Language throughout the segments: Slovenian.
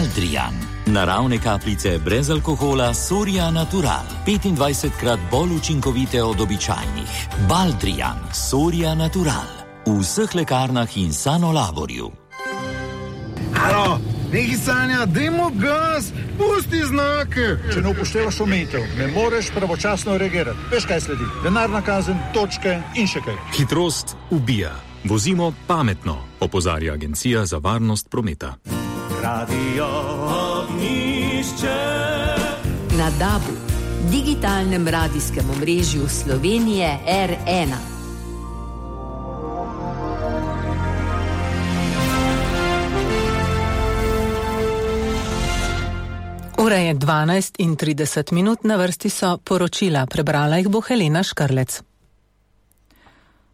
Baldrijan. Naravne kapljice brez alkohola Soria Natural. 25krat bolj učinkovite od običajnih. Baldrijan Soria Natural. V vseh lekarnah in Sanolaborju. Alo, nekaj Sanja, dajmo gas, pusti znake. Če ne upoštevaš omejitev, ne moreš pravočasno reagirati. Veš, kaj sledi? Denarna kazen, točke in še kaj. Hitrost ubija. Vozimo pametno, opozarja Agencija za varnost prometa. Radio Ognjišče. Na DAB-u, digitalnem radijskem omrežju Slovenije R1. Ura je 12:30, na vrsti so poročila, prebrala jih bo Helena Škrlec.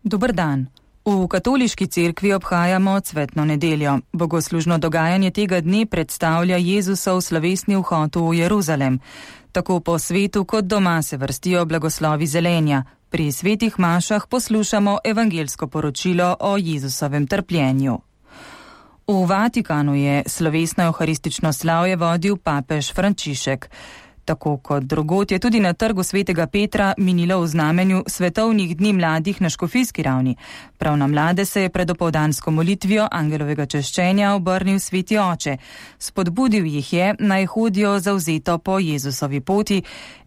Dober dan. V katoliški cerkvi obhajamo cvetno nedeljo. Bogoslužno dogajanje tega dne predstavlja Jezusov slovesni vhod v Jeruzalem. Tako po svetu kot doma se vrstijo blagoslovi zelenja. Pri svetih mašah poslušamo evangelsko poročilo o Jezusovem trpljenju. V Vatikanu je slovesno evharistično slavje vodil papež Frančišek. Tako kot drugod je tudi na trgu svetega Petra minilo v znamenju svetovnih dni mladih na škofijski ravni. Prav na mlade se je pred opoldansko molitvijo angelovega češčenja obrnil sveti oče. Spodbudil jih je, naj hodijo zavzeto po Jezusovi poti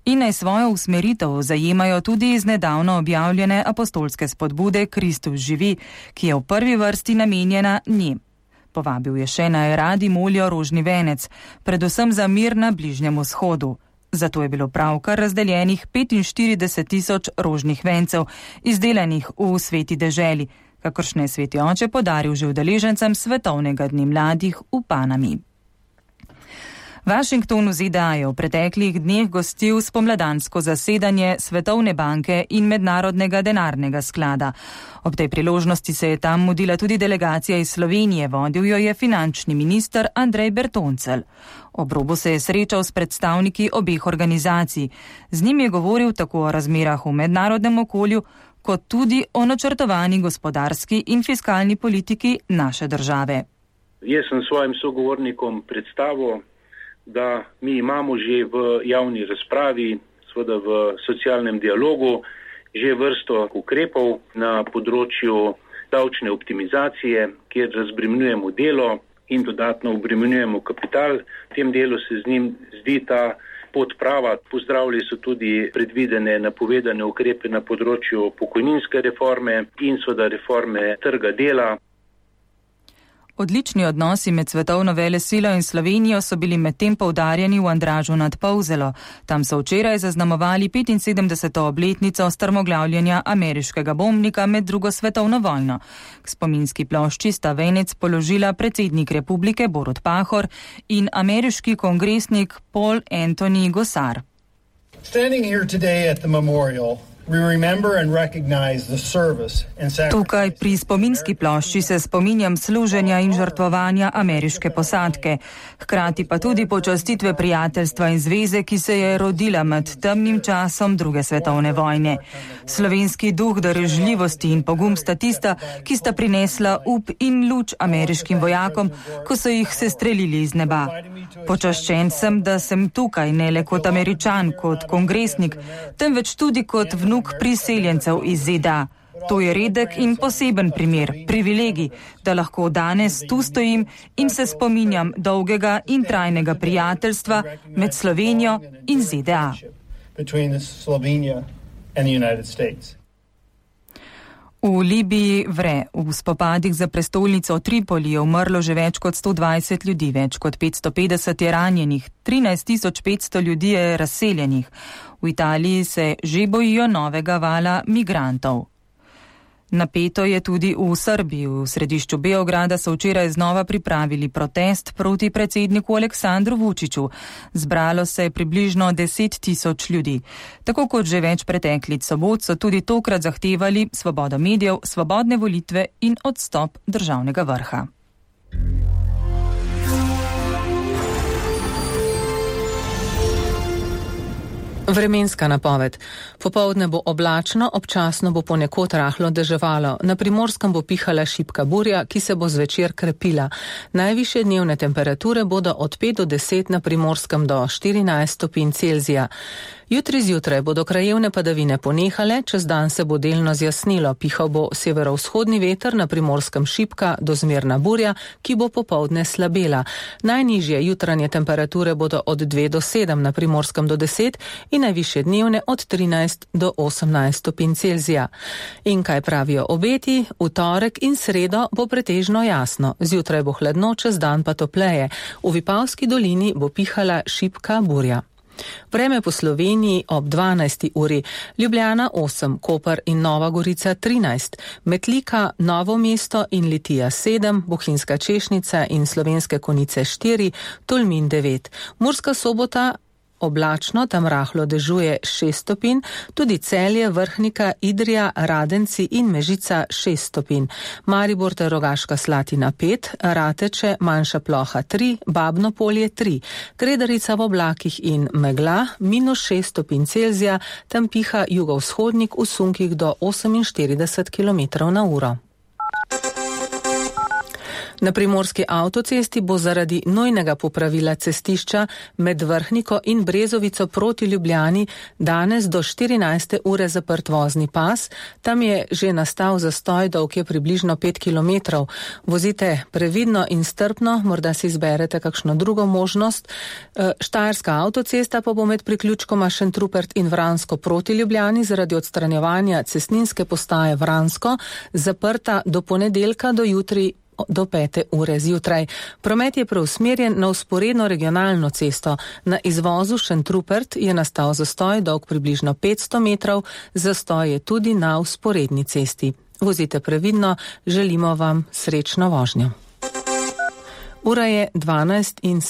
in naj svojo usmeritev zajemajo tudi iz nedavno objavljene apostolske spodbude Kristus živi, ki je v prvi vrsti namenjena njim. Povabil je še naj radi molijo rožni venec, predvsem za mir na Bližnjem vzhodu. Zato je bilo pravkar razdeljenih 45.000 rožnih vencev, izdelanih v sveti deželi, kakršne je sveti oče podaril že udeležencem svetovnega dne mladih v Panami. Washington v ZDA je v preteklih dneh gostil spomladansko zasedanje Svetovne banke in Mednarodnega denarnega sklada. Ob tej priložnosti se je tam mudila tudi delegacija iz Slovenije, vodil jo je finančni minister Andrej Bertoncelj. Ob robu se je srečal s predstavniki obeh organizacij. Z njim je govoril tako o razmerah v mednarodnem okolju, kot tudi o načrtovani gospodarski in fiskalni politiki naše države. Jaz sem svojim sogovornikom predstavil, da mi imamo že v javni razpravi, seveda v socialnem dialogu, že vrsto ukrepov na področju davčne optimizacije, kjer razbremenjujemo delo in dodatno obremenjujemo kapital. V tem delu se z njim zdi ta pot prava. Pozdravili so tudi predvidene napovedane ukrepe na področju pokojninske reforme in seveda reforme trga dela. Odlični odnosi med svetovno velesilo in Slovenijo so bili medtem poudarjeni v Andražu nad Polzelo. Tam so včeraj zaznamovali 75. obletnico strmoglavljenja ameriškega bombnika med drugo svetovno vojno. K spominski plošči sta venec položila predsednik republike Borut Pahor in ameriški kongresnik Paul Anthony Gosar. Standing here today at the memorial, we remember and recognize the service and sacrifice. Tukaj pri spominski plošči se spominjam služenja in žrtvovanja ameriške posadke, hkrati pa tudi počastitve prijateljstva in zveze, ki se je rodila med temnim časom druge svetovne vojne. Slovenski duh darežljivosti in pogum sta tista, ki sta prinesla up in luč ameriškim vojakom, ko so jih sestrelili iz neba. Počaščen sem, da sem tukaj ne le kot Američan, kot kongresnik, temveč tudi kot vnuk priseljencev iz ZDA. To je redek in poseben primer, privilegij, da lahko danes tu stojim in se spominjam dolgega in trajnega prijateljstva med Slovenijo in ZDA. V Libiji vre. V spopadih za prestolnico Tripoli je umrlo že več kot 120 ljudi, več kot 550 je ranjenih, 13.500 ljudi je razseljenih. V Italiji se že bojijo novega vala migrantov. Napeto je tudi v Srbiji. V središču Beograda so včeraj znova pripravili protest proti predsedniku Aleksandru Vučiću. Zbralo se je približno 10.000 ljudi. Tako kot že več preteklih sobot so tudi tokrat zahtevali svobodo medijev, svobodne volitve in odstop državnega vrha. Vremenska napoved. Popoldne bo oblačno, občasno bo ponekod rahlo deževalo. Na Primorskem bo pihala šibka burja, ki se bo zvečer krepila. Najvišje dnevne temperature bodo od 5 do 10, na Primorskem do 14 stopinj Celzija. Jutri zjutraj bodo krajevne padavine ponehale, čez dan se bo delno zjasnilo. Pihal bo severovzhodni veter, na Primorskem šibka do zmerna burja, ki bo popoldne slabela. Najnižje jutranje temperature bodo od 2 do 7, na Primorskem do 10 in najvišje dnevne od 13 do 18 stopinj Celzija. In kaj pravijo obeti? V torek in sredo bo pretežno jasno. Zjutraj bo hladno, čez dan pa topleje. V Vipavski dolini bo pihala šibka burja. Vreme po Sloveniji ob 12. uri. Ljubljana 8, Koper in Nova Gorica 13, Metlika, Novo mesto in Litija 7, Bohinjska Češnica in Slovenske Konjice 4, Tolmin 9, Murska Sobota oblačno, tam rahlo dežuje 6 stopinj, tudi Celje, Vrhnika, Idrija, Radenci in Mežica 6 stopinj. Maribor ter Rogaška Slatina 5, Rateče, Manjša Ploha 3, Babno Polje 3, Kredarica v oblakih in megla -6 stopinj Celzija, tam piha jugovzhodnik v sunkih do 48 km/h. Na Primorski avtocesti bo zaradi nujnega popravila cestišča med Vrhniko in Brezovico proti Ljubljani danes do 14. ure zaprt vozni pas. Tam je že nastal zastoj, dolg je približno 5 km. Vozite previdno in strpno, morda si izberete kakšno drugo možnost. Štajerska avtocesta pa bo med priključkoma Šentrupert in Vransko proti Ljubljani zaradi odstranjevanja cestninske postaje Vransko zaprta do ponedeljka do jutri do 5. ure zjutraj. Promet je preusmerjen na vzporedno regionalno cesto. Na izvozu Šentrupert je nastal zastoj, dolg približno 500 metrov, zastoj je tudi na vzporedni cesti. Vozite previdno, želimo vam srečno vožnjo. Ura je 12:07.